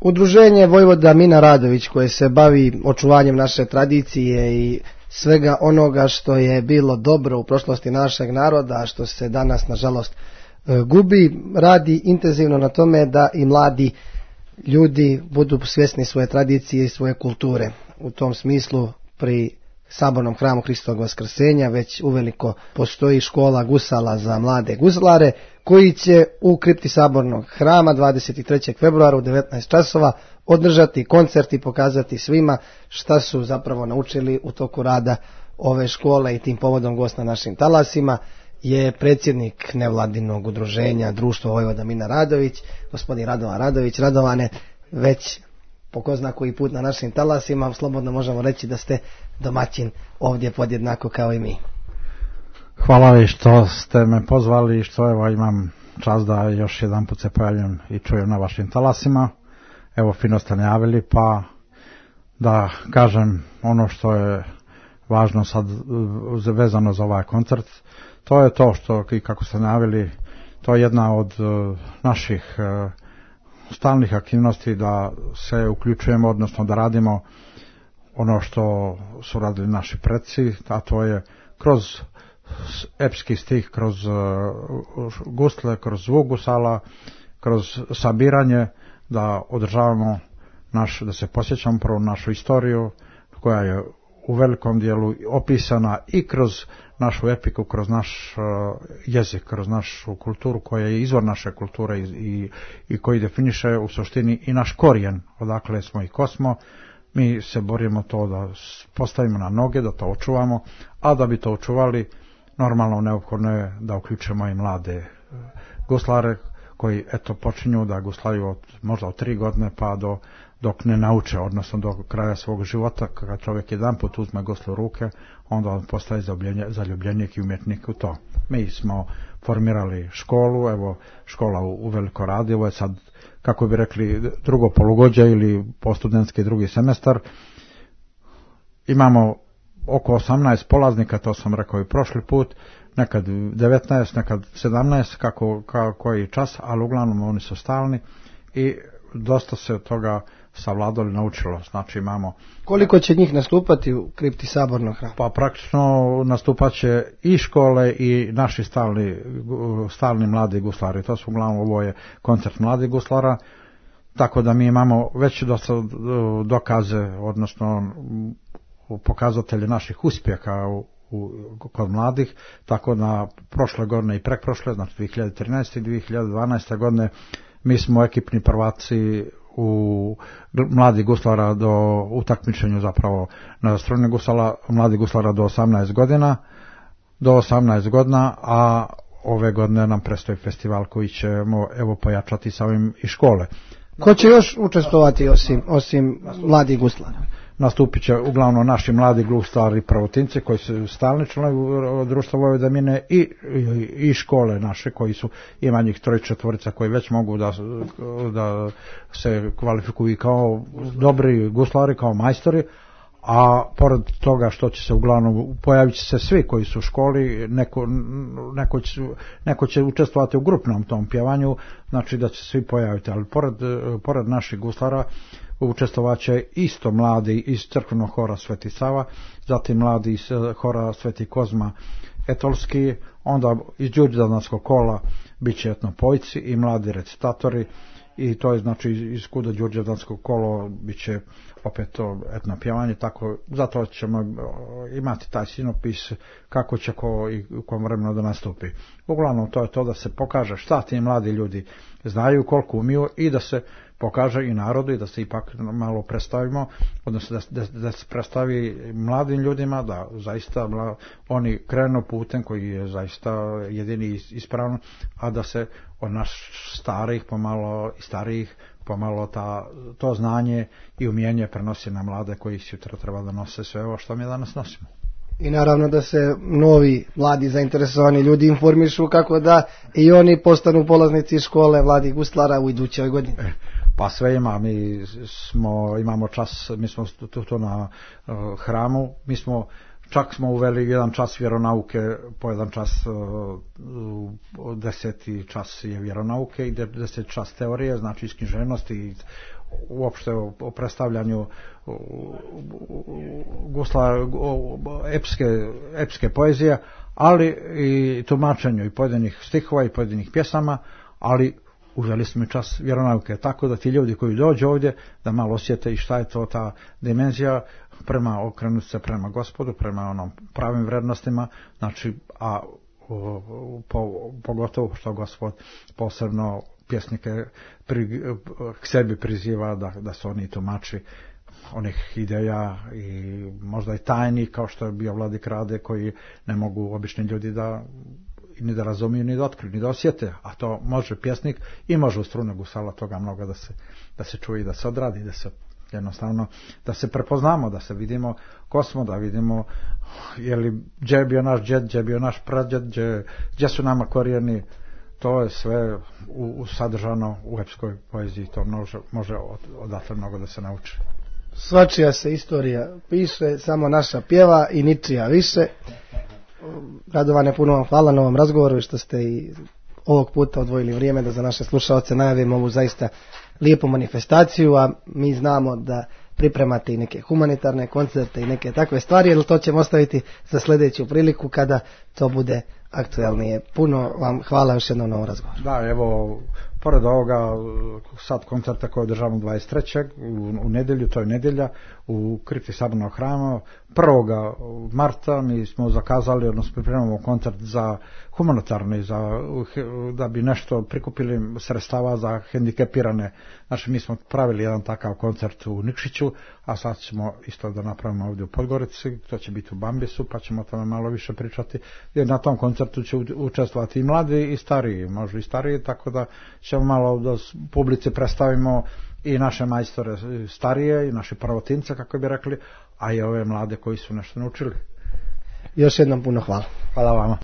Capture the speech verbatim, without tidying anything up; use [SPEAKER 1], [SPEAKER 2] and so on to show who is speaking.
[SPEAKER 1] Udruženje Vojvoda Mina Radović koje se bavi očuvanjem naše tradicije i svega onoga što je bilo dobro u prošlosti našeg naroda, a što se danas nažalost gubi, radi intenzivno na tome da i mladi ljudi budu svjesni svoje tradicije i svoje kulture. U tom smislu pri Sabornom hramu Hristovog Vaskrsenja već uveliko postoji škola gusala za mlade guslare koji će u kripti Sabornog hrama dvadeset trećeg februara u devetnaest časova održati koncert i pokazati svima šta su zapravo naučili u toku rada ove škole. I tim povodom gost na našim talasima je predsjednik nevladinog udruženja Društvo Vojvoda Mina Radović, gospodin Radovan Radović. Radovane, već po ko zna koji put na našim talasima, slobodno možemo reći da ste domaćin ovdje podjednako kao i mi.
[SPEAKER 2] Hvala vi što ste me pozvali i što evo imam čast da još jedan put se pojavljam i čujem na vašim talasima. Evo, fino ste najavili, pa da kažem ono što je važno sad vezano za ovaj koncert. To je to što, i kako ste najavili, to je jedna od naših stalnih aktivnosti da se uključujemo, odnosno da radimo ono što su radili naši preci, a to je kroz epski stih, kroz gusle, kroz zvuk gusala, kroz sabiranje, da održavamo naš, da se posjećamo prvo našu istoriju koja je u velikom dijelu opisana i kroz našu epiku, kroz naš uh, jezik, kroz našu kulturu koja je izvor naše kulture i, i, i koji definiše u suštini i naš korijen, odakle smo i ko smo. Mi se borimo to da postavimo na noge, da to očuvamo, a da bi to očuvali normalno neophodno je da uključimo i mlade uh, guslare koji eto počinju da guslaju od, možda od tri godine pa do dok ne nauče, odnosno do kraja svog života. Kad čovjek jedan put uzme guslu u ruke, onda on postaje zaljubljenik i umjetnik u to. Mi smo formirali školu, evo škola u, u veliko radi, ovo je sad, kako bi rekli, drugo polugođe ili postudentski drugi semestar. Imamo oko osamnaest polaznika, to sam rekao i prošli put, nekad devetnaest, nekad sedamnaest, kako, kako koji čas, ali uglavnom oni su stalni i dosta se od toga savladali, naučilo. Znači imamo...
[SPEAKER 1] Koliko će njih nastupati u kripti Sabornog hrama?
[SPEAKER 2] Pa praktično nastupat će i škole i naši stalni, stalni mladi guslari. To su uglavnom, ovo je koncert mladih guslara, tako da mi imamo već dosta dokaze, odnosno pokazatelje naših uspjeha u, u, kod mladih, tako da prošle godine i prekprošle, znači dvije hiljade trinaeste i dvije hiljade dvanaeste godine, mi smo ekipni prvaci u mladi guslara do utakmičenju zapravo na strojne gusala, mladi guslara do osamnaest godina, do osamnaest godina, a ove godine nam predstoji festival koji ćemo evo pojačati sa ovim i škole.
[SPEAKER 1] Ko će još učestvovati osim, osim mladih guslara?
[SPEAKER 2] Nastupit će uglavnom naši mladi guslari prvotinci koji su stalni članovi Društva Vojvoda Mine i, i, i škole naše koji su, ima njih troj četvorica koji već mogu da, da se kvalifikuju kao dobri guslari, kao majstori, a pored toga što će se uglavnom pojavit će se svi koji su u školi, neko, neko, će, neko će učestvovati u grupnom tom pjevanju, znači da će svi pojaviti, ali pored, pored naših guslara učestvovat će isto mladi iz crkvenog hora Sveti Sava, zatim mladi iz hora Sveti Kozma Etolski, onda iz Đurđevdanskog kola bit će etnopojci i mladi recitatori, i to je znači iz kuda Đurđevdanskog kolo bit će opet to etno pjevanje, tako zato ćemo imati taj sinopis kako će ko i u kom vremenu da nastupi. Uglavnom to je to da se pokaže šta ti mladi ljudi znaju, koliko umiju i da se pokaže i narodu i da se ipak malo predstavimo, odnosno da, da, da se predstavi mladim ljudima da zaista mla, oni krenu putem koji je zaista jedini ispravno, a da se od naš starih pomalo i starijih pomalo ta, to znanje i umjenje prenosi na mlade koji sutra treba da nose sve ovo što mi danas nosimo.
[SPEAKER 1] I naravno da se novi, mladi, zainteresovani ljudi informišu kako da i oni postanu polaznici škole mladih guslara u idućoj godini.
[SPEAKER 2] Pa sve ima, mi smo, imamo čas, mi smo tu, tu na uh, hramu, mi smo, čak smo uveli jedan čas vjeronauke, po jedan čas, uh, deseti čas je vjeronauke i deset čas teorije, znači iz književnosti i uopšte o, o predstavljanju gusla epske, epske poezije, ali i tumačenju i pojedinih stihova i pojedinih pjesama, ali uzeli smo i čas vjeronauke, tako da ti ljudi koji dođu ovdje da malo osjete i šta je to ta dimenzija prema okrenuti se prema Gospodu, prema onom pravim vrednostima, znači, a o, po, pogotovo što Gospod posebno pjesnike pri, k sebi priziva da, da su oni tumači onih ideja i možda i tajni, kao što je bio Vladik Rade, koji ne mogu obični ljudi da ni da razumiju, ni da otkriju, ni da osjete, a to može pjesnik i može u strune gusala toga mnogo da se, da se čuje i da se odradi, da se jednostavno, da se prepoznamo, da se vidimo ko smo, da vidimo je li gdje je bio naš djed, gdje je bio naš pradjed, gdje, gdje su nama korijeni. To je sve u, u sadržano u epskoj poeziji, to može, može od, odatle mnogo da se nauči.
[SPEAKER 1] Svačija se istorija piše, samo naša pjeva i ničija više. Radovane, puno vam hvala na ovom razgovoru i što ste i ovog puta odvojili vrijeme da za naše slušaoce najavimo ovu zaista lijepu manifestaciju, a mi znamo da pripremate i neke humanitarne koncerte i neke takve stvari, jer to ćemo ostaviti za sljedeću priliku kada to bude aktualnije. Puno vam hvala još jednom na ovom razgovoru.
[SPEAKER 2] Da, evo, pored ovoga sad koncerta koje održavamo dvadeset trećeg u, u nedjelju, to je nedjelja, u kripti Sabornog hrama. prvog marta mi smo zakazali, odnosno pripremamo koncert za humanitarni, za, da bi nešto prikupili sredstava za hendikepirane. Znači, mi smo pravili jedan takav koncert u Nikšiću, a sad ćemo isto da napravimo ovdje u Podgorici, to će biti u Bambisu, pa ćemo o tome malo više pričati. Jer na tom koncertu će učestvovati i mladi i stariji, možda i stariji, tako da ćemo malo da publici predstavimo i naše majstore starije i naše pravotince, kako bi rekli, a i ove mlade koji su nešto naučili.
[SPEAKER 1] Još jednom puno hvala.
[SPEAKER 2] Hvala vama.